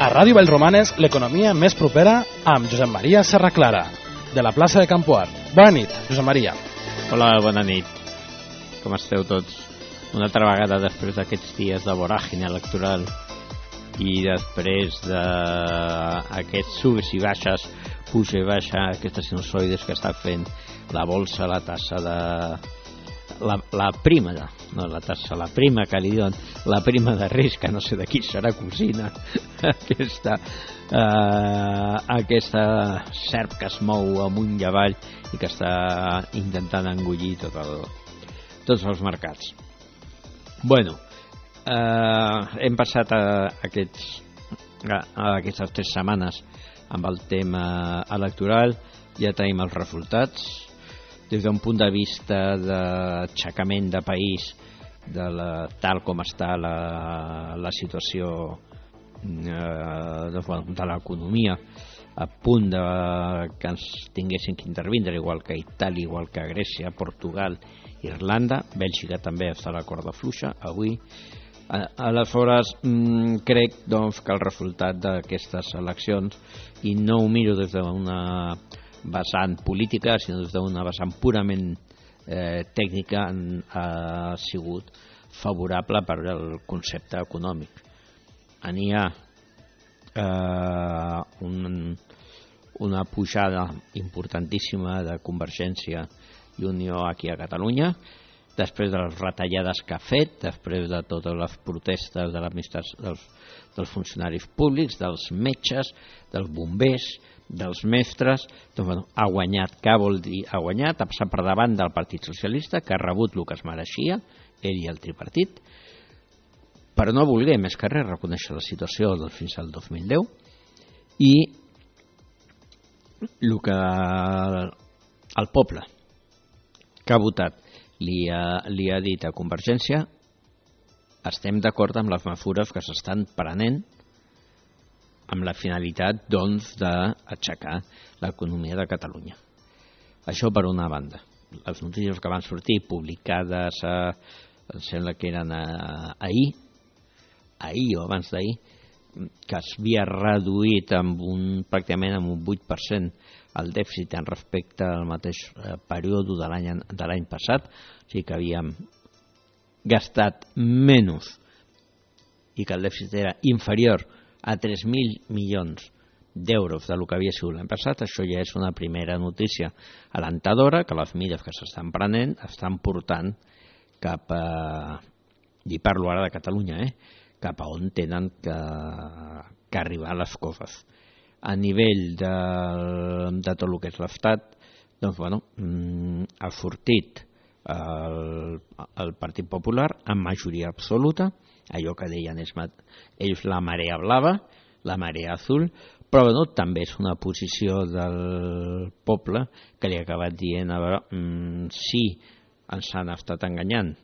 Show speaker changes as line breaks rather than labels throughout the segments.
A Ràdio Vallromanes, l'economia més propera amb Josep Maria Serraclara, de la plaça de Campoart. Bona nit, Josep Maria.
Hola, bona nit. Com esteu tots? Una altra vegada després d'aquests dies de voràgine electoral i després d'aquests subs i baixes, puja i baixa, aquestes sinusoides que està fent la bolsa, la tassa de... La prima, no la tassa, la prima que li diuen, la prima de risc, que no sé de qui serà cosina, aquesta serp que es mou amunt i avall i que està intentant engullir tots els mercats. Bueno, hem passat aquestes 3 setmanes amb el tema electoral, ja tenim els resultats. Des d'un punt de vista d'aixecament de país, tal com està la situació de l'economia, a punt que ens tinguessin que intervindre, igual que Itàlia, igual que Grècia, Portugal, Irlanda, Bèlgica també està a la corda fluixa avui. Aleshores, crec doncs, que el resultat d'aquestes eleccions, i no ho miro des d'una vessant política, sinó des d'una vessant purament tècnica, ha sigut favorable per al concepte econòmic. N'hi ha una pujada importantíssima de Convergència i Unió aquí a Catalunya, després de les retallades que ha fet, després de totes les protestes dels funcionaris públics, dels metges, dels bombers, dels mestres. Doncs, bueno, ha guanyat. Què vol dir? Ha guanyat, ha passat per davant del Partit Socialista, que ha rebut el que es mereixia, ell i el tripartit, però no volgué més que res reconèixer la situació fins al 2010, i el que el poble que ha votat li ha dit a Convergència: estem d'acord amb les mesures que s'estan prenent amb la finalitat, doncs, d'aixecar l'economia de Catalunya. Això per una banda. Les notícies que van sortir publicades, em sembla que eren ahir o abans d'ahir, que s'havia reduït pràcticament amb un 8% el dèficit en respecte al mateix període de l'any passat, o sigui que havíem gastat menys i que el dèficit era inferior a 3.000 milions d'euros del que havia sigut l'any passat. Això ja és una primera notícia alentadora, que les mesures que s'estan prenent estan portant cap a, i parlo ara de Catalunya, cap a on tenen que arribar les coses. A nivell de tot el que és l'Estat, doncs, bueno, ha sortit el Partit Popular amb majoria absoluta, allò que deien ells la marea blava, la marea azul, però bueno, també és una posició del poble que li ha acabat dient: a veure, sí, ens han estat enganyant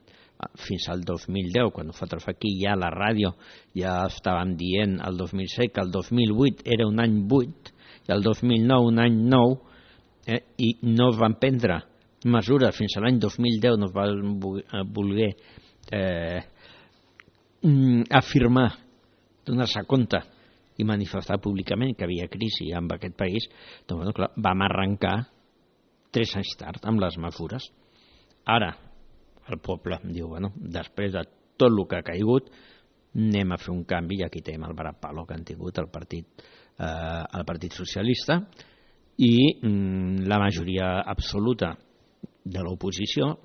fins al 2010, quan nosaltres aquí ja a la ràdio ja estàvem dient el 2007 que el 2008 era un any 8 i el 2009 un any 9, i no es van prendre mesures fins a l'any 2010, no es van voler afirmar, donar-se compte i manifestar públicament que havia crisi en aquest país. Doncs, bueno, clar, vam arrencar 3 anys tard amb les mesures. Ara el poble diu: bueno, després de tot el que ha caigut, anem a fer un canvi, i aquí tenim el varapalo que han tingut el Partit Socialista i la majoria absoluta de l'oposició,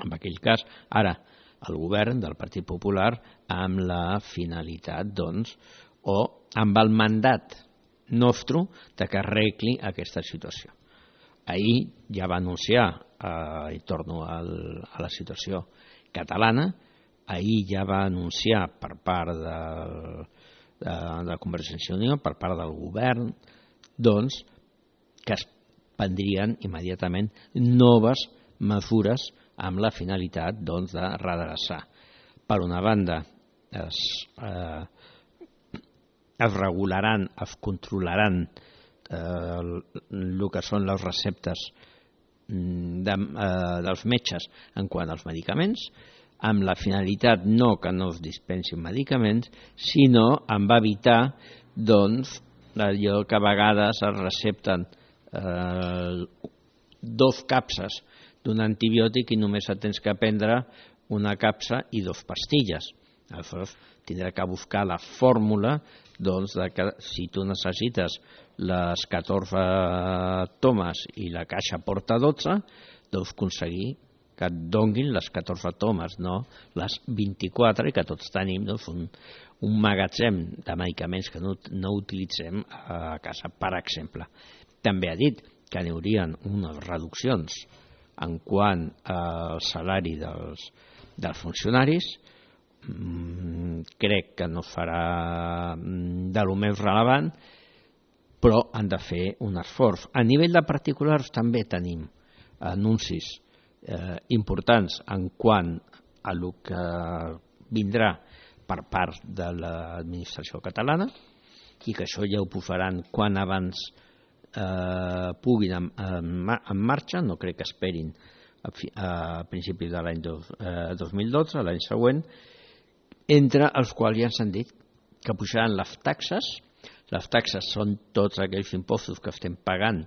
en aquell cas ara el govern del Partit Popular, amb la finalitat, doncs, o amb el mandat nostre de que arregli aquesta situació. Ahir ja va anunciar, i torno a la situació catalana, ahir ja va anunciar per part de Convergència i Unió, per part del govern, doncs, que es prendrien immediatament noves mesures amb la finalitat, doncs, de redreçar. Per una banda, es regularan, es controlaran el que són les receptes dels metges en quant als medicaments, amb la finalitat no que no es dispensin medicaments, sinó amb evitar doncs allò que a vegades es recepten 2 capses d'un antibiòtic i només et tens que prendre una capsa i 2 pastilles. Aleshores tindrà que buscar la fórmula doncs, de que si tu necessites les 14 tomes i la caixa porta 12, doncs aconseguir que et donguin les 14 tomes, no les 24, i que tots tenim doncs, un magatzem de medicaments que no utilitzem a casa, per exemple. També ha dit que n'hi haurien unes reduccions en quant al salari dels funcionaris. Crec que no farà de lo més relevant, però han de fer un esforç. A nivell de particulars també tenim anuncis importants en quant a el que vindrà per part de l'administració catalana, i que això ja ho posaran quan abans puguin en marxa. No crec que esperin a principis de l'any 2012, l'any següent, entre els quals ja ens han dit que pujaran les taxes. Les taxes són tots aquells impostos que estem pagant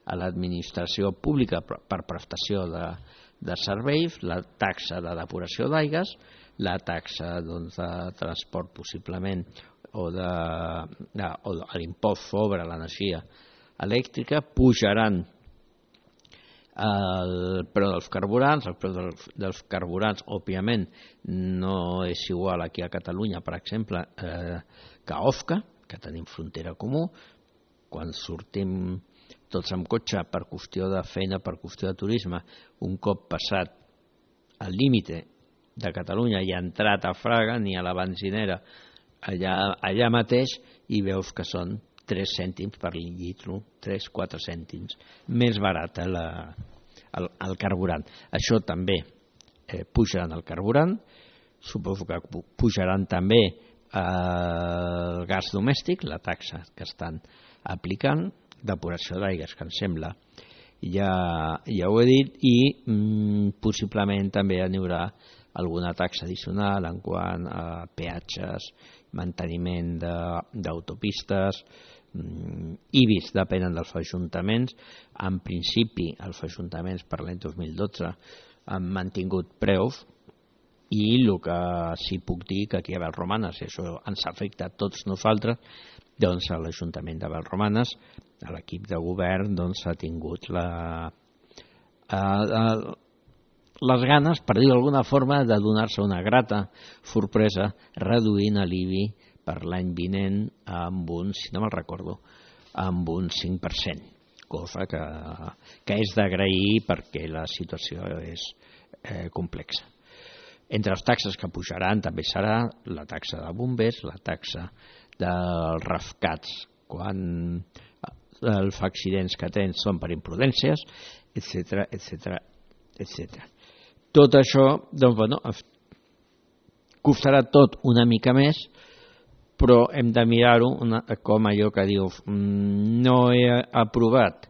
a l'administració pública per prestació de serveis, la taxa de depuració d'aigües, la taxa doncs, de transport possiblement, o l'impost sobre l'energia elèctrica. Pujaran el preu dels carburants. El preu dels carburants, òbviament, no és igual aquí a Catalunya, per exemple, que a Osca, que tenim frontera comú. Quan sortim tots amb cotxe per qüestió de feina, per qüestió de turisme, un cop passat el límite de Catalunya i ha entrat a Fraga, ni a la benzinera, allà mateix, i veus que són 3 cèntims per litre, 3-4 cèntims més barat el carburant. Això també pujaran el carburant. Suposo que pujaran també el gas domèstic, la taxa que estan aplicant, depuració d'aigües, que em sembla ja ho he dit, i possiblement també n'hi haurà alguna taxa addicional en quant a peatges, manteniment d'autopistes, IBIs depenen dels ajuntaments. En principi els ajuntaments per l'any 2012 han mantingut preus, i el que sí puc dir que aquí a Vallromanes, i això ens afecta a tots nosaltres, doncs a l'Ajuntament de Vallromanes, a l'equip de govern, doncs ha tingut les ganes, per dir d'alguna forma, de donar-se una grata sorpresa reduint l'IBI per l'any vinent amb un, si no me'l recordo, amb un 5%, cosa que és d'agrair perquè la situació és complexa. Entre les taxes que pujaran també serà la taxa de bombers, la taxa dels rescats quan els accidents que tens són per imprudències, etc, etc, etc. Tot això, doncs, bueno, costarà tot una mica més, però hem de mirar-ho com allò que dius, no he aprovat,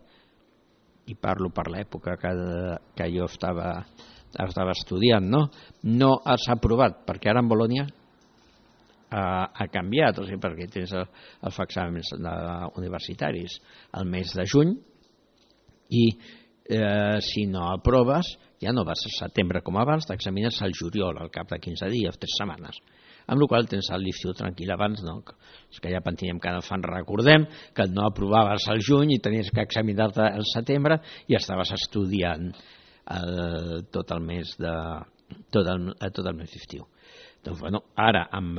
i parlo per l'època que jo estava estudiant, no has aprovat, perquè ara en Bolònia ha canviat, o sigui, perquè tens els exàmens universitaris al mes de juny, i si no aproves ja no vas a setembre com abans, t'examines al juliol, al cap de 15 dies, 3 setmanes, amb la qual tens l'estiu tranquil. Abans no, és que ja pentinem que no fan. Recordem que no aprovaves al juny i tenies que examinar-te al setembre i estaves estudiant tot el mes d'estiu. Doncs, bueno, ara amb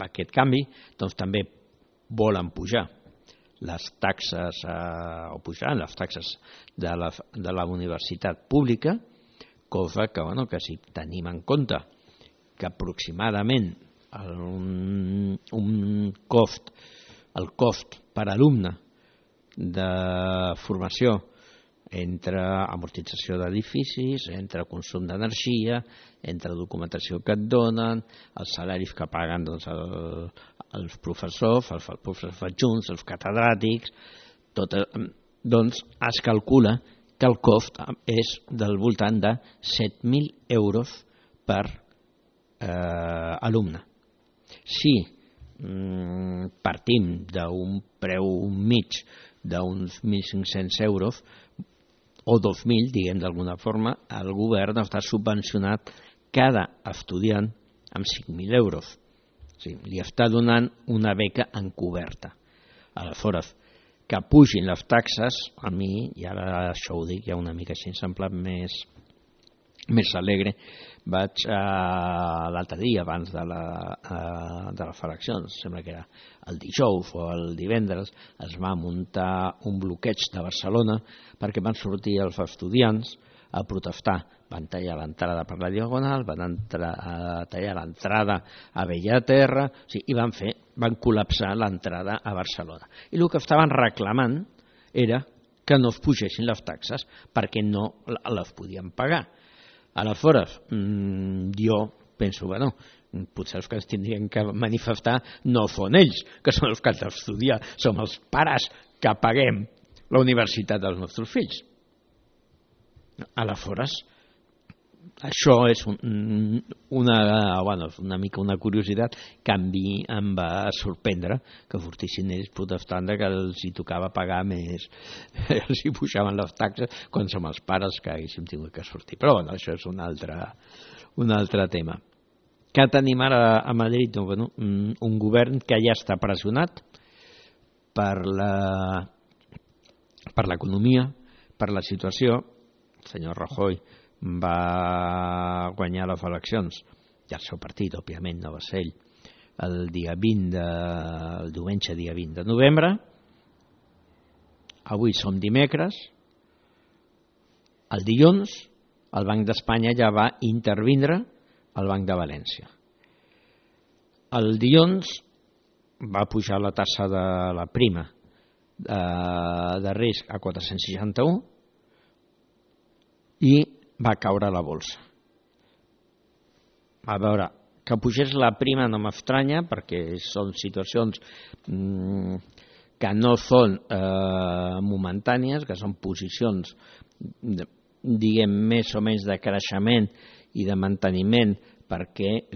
aquest canvi doncs, també volen pujar les taxes, o pujaran les taxes de la universitat pública, cosa que, bueno, que si tenim en compte que aproximadament el cost per alumne de formació entre amortització d'edificis, entre consum d'energia, entre documentació que et donen, els salaris que paguen doncs, els professors, els professors adjunts, els catedràtics, doncs es calcula que el cost és del voltant de 7.000 euros per alumne. Si partim d'un preu mig d'uns 1.500 euros o 2.000, diguem d'alguna forma, el govern està subvencionat cada estudiant amb 5.000 euros. O sigui, li està donant una beca encoberta. Aleshores, que pugin les taxes, a mi, i ara això ho dic ja una mica així, em sembla més alegre. Vaig l'altre dia, abans de les eleccions, sembla que era el dijous o el divendres, es va muntar un bloqueig de Barcelona perquè van sortir els estudiants a protestar. Van tallar l'entrada per la Diagonal, van tallar l'entrada a Bellaterra, i van col·lapsar l'entrada a Barcelona. I el que estaven reclamant era que no es pugessin les taxes perquè no les podien pagar. Aleshores, jo penso, bueno, potser els que es tindrien que manifestar no són ells, que són els que han d'estudiar, som els pares que paguem la universitat dels nostres fills. Aleshores, això és una mica una curiositat que a mi em va sorprendre que sortissin ells protestant que els hi tocava pagar més, els hi pujaven les taxes quan som els pares que haguéssim tingut que sortir. Però bueno, això és un altre tema. Què tenim ara a Madrid? Un govern que ja està pressionat per l'economia, per la situació. El senyor Rajoy va guanyar les eleccions i el seu partit, òbviament, no va ser ell, el diumenge dia 20 de novembre. Avui som dimecres. El dilluns el Banc d'Espanya ja va intervindre al Banc de València. El dilluns va pujar la tassa de la prima de risc a 461 i va caure la bolsa. A veure, que pugés la prima no m'estranya perquè són situacions que no són momentànies, que són posicions, diguem, més o menys de creixement i de manteniment, perquè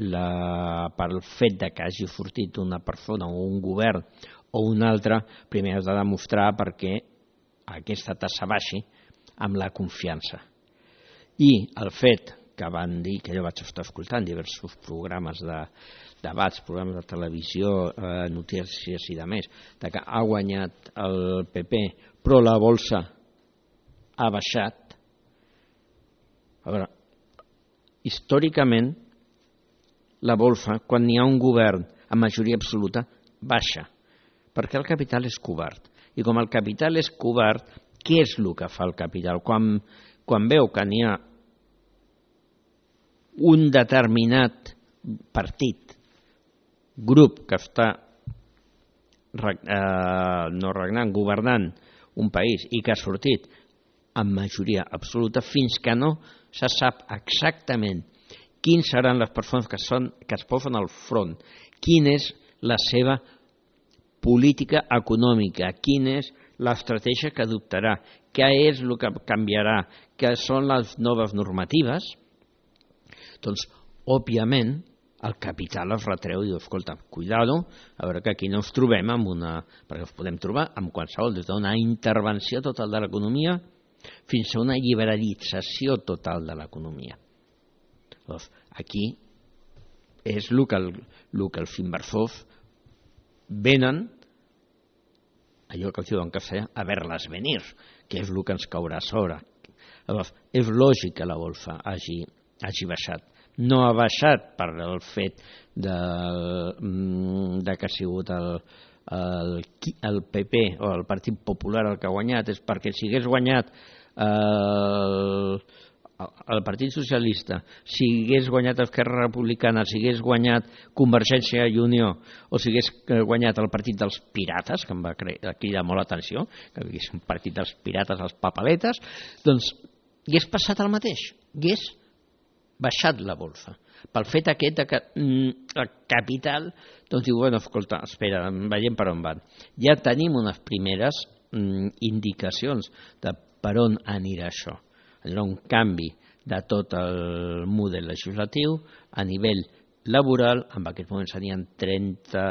pel fet de que hagi sortit una persona o un govern o un altre, primer has de demostrar perquè aquesta tassa baixi amb la confiança. I el fet que van dir, que jo vaig estar escoltant diversos programes de debats, programes de televisió, notícies i de més, de que ha guanyat el PP però la bolsa ha baixat. A veure, històricament la bolsa, quan hi ha un govern amb majoria absoluta, baixa, perquè el capital és covard. I com el capital és covard, què és el que fa el capital? Quan veu que n'hi ha un determinat partit, grup que està governant un país i que ha sortit amb majoria absoluta, fins que no se sap exactament quins seran les persones que es posen al front, quina és la seva política econòmica, quina és l'estratègia que adoptarà, què és el que canviarà, què són les noves normatives, doncs, òbviament, el capital es retreu i diu, escolta, cuidado, a veure que aquí no ens trobem amb perquè ens podem trobar amb qualsevol, des d'una intervenció total de l'economia fins a una liberalització total de l'economia. Doncs, aquí és el que els inversors venen, allò que els diuen que feia, a veure-les venir, que és el que ens caurà a sobre. Llavors, és lògic que la bolsa hagi baixat. No ha baixat per el fet de que ha sigut el PP o el Partit Popular el que ha guanyat, és perquè si hagués guanyat el Partit Socialista, si hagués guanyat Esquerra Republicana, si hagués guanyat Convergència i Unió o si hagués guanyat el Partit dels Pirates, que em va cridar molt l'atenció, que és un partit dels pirates, els papaletes, doncs hagués passat el mateix, hagués baixat la bolsa. Pel fet aquest que el capital doncs diu, bueno, escolta, espera, veiem per on van. Ja tenim unes primeres indicacions de per on anirà això. Hi haurà un canvi de tot el model legislatiu a nivell laboral, en aquest moment serien 30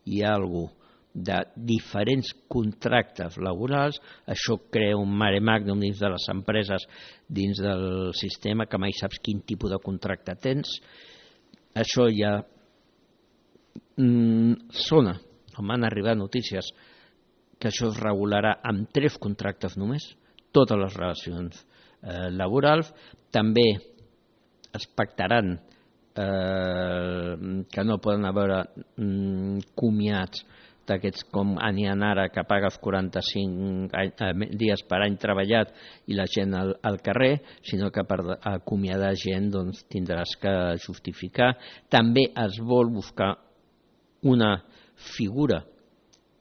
i alguna cosa de diferents contractes laborals. Això crea un mare magnum dins de les empreses, dins del sistema, que mai saps quin tipus de contracte tens. Això ja sona, o m'han arribat notícies, que això es regularà amb 3 contractes només, totes les relacions laborals. També es pactaran que no poden haver comiats d'aquests com n'hi ha ara, que pagues 45 dies per any treballat i la gent al carrer, sinó que per acomiadar gent doncs, tindràs que justificar. També es vol buscar una figura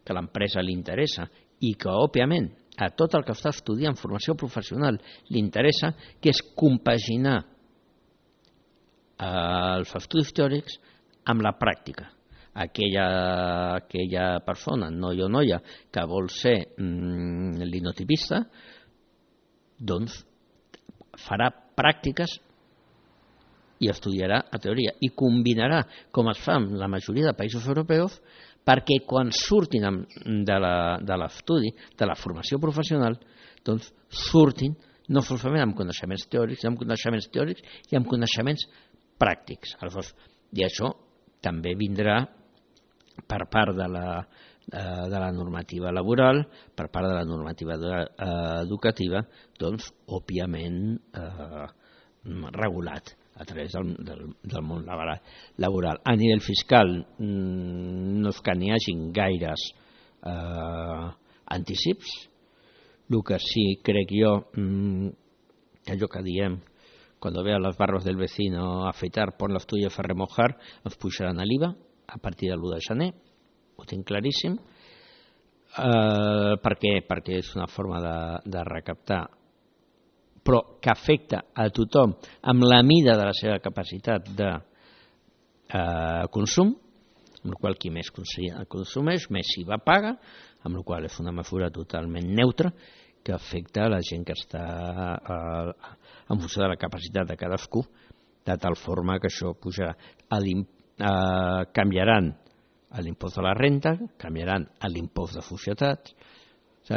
que a l'empresa li interessa i que, òbviament, a tot el que està estudiant formació professional li interessa, que és compaginar els estudis teòrics amb la pràctica. Aquella persona, noi o noia, que vol ser linotipista, doncs farà pràctiques i estudiarà a teoria i combinarà, com es fa en la majoria de països europeus, perquè quan surtin de l'estudi, de la formació professional, doncs surtin no solament amb coneixements teòrics, i amb coneixements pràctics. I això també vindrà per part de la normativa laboral, per part de la normativa educativa, doncs, òbviament, regulat a través del món laboral. A nivell fiscal no és que n'hi hagin gaires anticips. El que sí crec jo, que allò que diem, cuando vea las barbas del vecino afeitar, pon las tuyas a remojar, ens pujaran a l'IVA a partir de l'1 de gener, ho tinc claríssim. Per què? Perquè és una forma de recaptar, però que afecta a tothom amb la mida de la seva capacitat de consum, amb la qual qui més consumeix, més IVA paga, amb la qual és una mesura totalment neutra que afecta a la gent que està en funció de la capacitat de cadascú, de tal forma que això pujarà. Canviaran l'impost de la renta, canviaran l'impost de societats,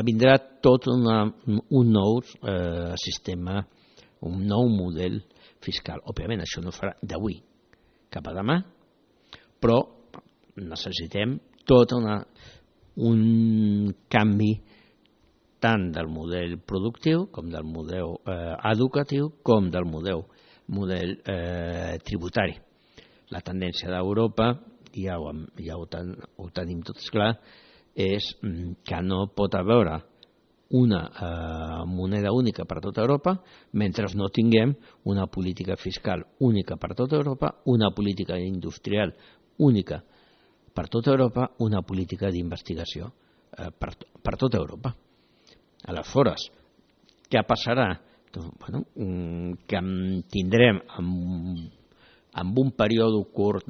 vindrà tot un nou sistema, un nou model fiscal. Òbviament això no farà d'avui cap a demà, però necessitem tot un canvi tant del model productiu com del model educatiu com del model tributari. La tendència d'Europa, ja ho tenim tots clar, és que no pot haver una moneda única per tota Europa mentre no tinguem una política fiscal única per tota Europa, una política industrial única per tota Europa, una política d'investigació per tota Europa. Aleshores, què passarà? Que tindrem amb un període curt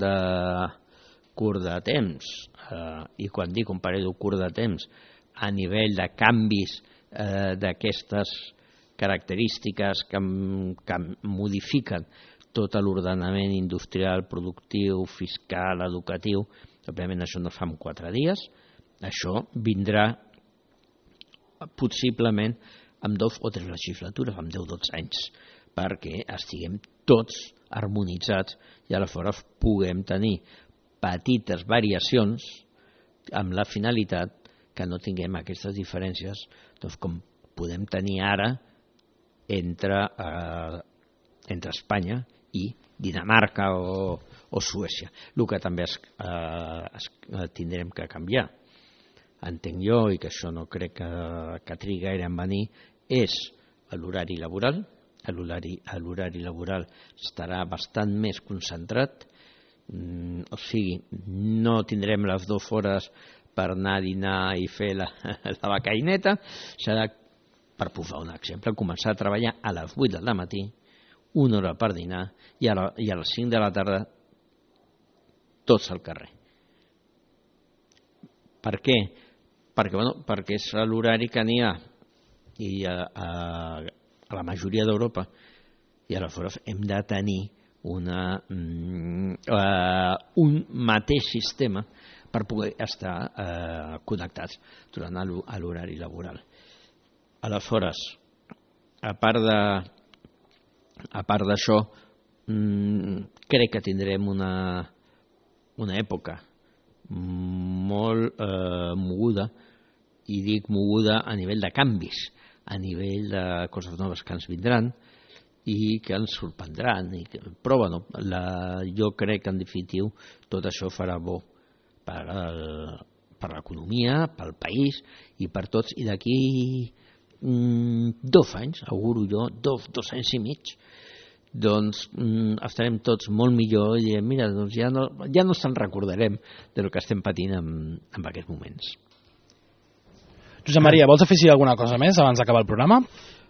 de temps, i quan dic un període curt de temps, a nivell de canvis d'aquestes característiques que modifiquen tot l'ordenament industrial, productiu, fiscal, educatiu, òbviament això no es fa en 4 dies, això vindrà possiblement amb 2 o 3 legislatures, amb 10 o 12 anys, perquè estiguem tots harmonitzats i aleshores puguem tenir petites variacions amb la finalitat que no tinguem aquestes diferències com podem tenir ara entre Espanya i Dinamarca o Suècia. El que també tindrem que canviar, entenc jo, i que això no crec que trigui gaire en venir, és l'horari laboral. L'horari laboral estarà bastant més concentrat, o sigui, no tindrem les 2 hores per anar a dinar i fer la becaineta, serà, per posar un exemple, començar a treballar a les 8 del matí, 1 hora per dinar, i a les 5 de la tarda tots al carrer. Per què? Perquè és l'horari que n'hi ha i a la majoria d'Europa, i aleshores hem de tenir un mateix sistema per poder estar connectats durant l'horari laboral. Aleshores, a part d'això, crec que tindrem una època molt moguda, i dic moguda a nivell de canvis, a nivell de coses noves que ens vindran i que ens sorprendran. Però bueno, jo crec que en definitiu tot això farà bo per l'economia, pel país i per tots. I d'aquí 2 anys, auguro jo, 2 anys i mig, doncs estarem tots molt millor i direm, mira, doncs ja no ens en recordarem del que estem patint en aquests moments.
Josep Maria, vols afegir alguna cosa més abans d'acabar el programa?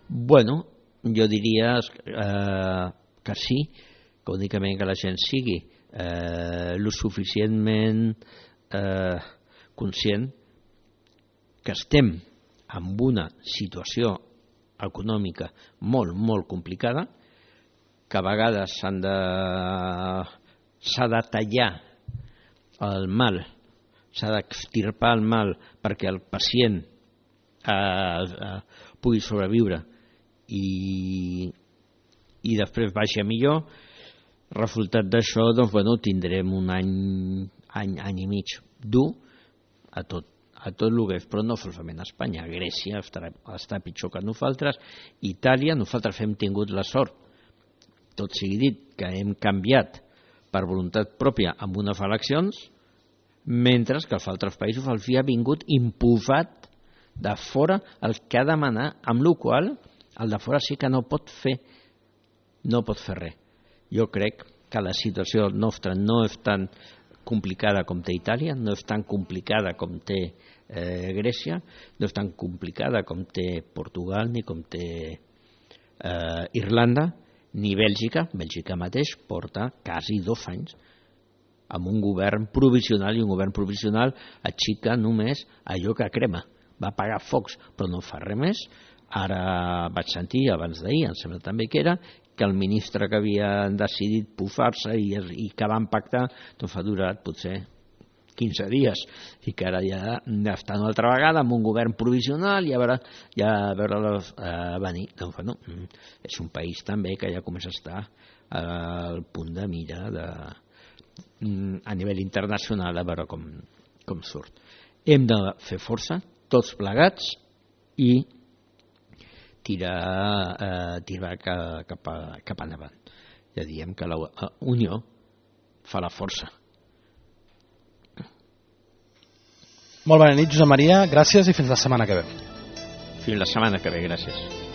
Bueno, jo diria que sí, que únicament que la gent sigui lo suficientment conscient que estem en una situació econòmica molt, molt complicada, que a vegades s'ha de tallar el mal, s'ha d'extirpar el mal perquè el pacient pugui sobreviure i després vagi a millor. Resultat d'això, doncs, bueno, tindrem un any i mig dur a tot el que és, però no solament a Espanya. Grècia està pitjor que nosaltres, Itàlia, nosaltres hem tingut la sort, tot sigui dit, que hem canviat per voluntat pròpia amb unes eleccions, mentre que els altres països els ha vingut imposat de fora el que ha de demanar, amb la qual el de fora sí que no pot fer res. Jo crec que la situació nostra no és tan complicada com té Itàlia, no és tan complicada com té Grècia, no és tan complicada com té Portugal, ni com té Irlanda, ni Bèlgica. Bèlgica mateix porta quasi 2 anys amb un govern provisional, i un govern provisional aixeca només allò que crema. Va apagar focs, però no fa res més. Ara vaig sentir, abans d'ahir, em sembla també que era, que el ministre que havia decidit pufar-se i que van pactar, doncs ha durat potser 15 dies, i que ara ja estan una altra vegada amb un govern provisional i a veure-los venir. Doncs, bueno, és un país també que ja comença a estar al punt de mira a nivell internacional, a veure com surt. Hem de fer força, tots plegats, i tirar cap endavant. Ja diem que la unió fa la força.
Molt bona nit, Josep Maria, gràcies i fins la setmana que ve.
Fins la setmana que ve, gràcies.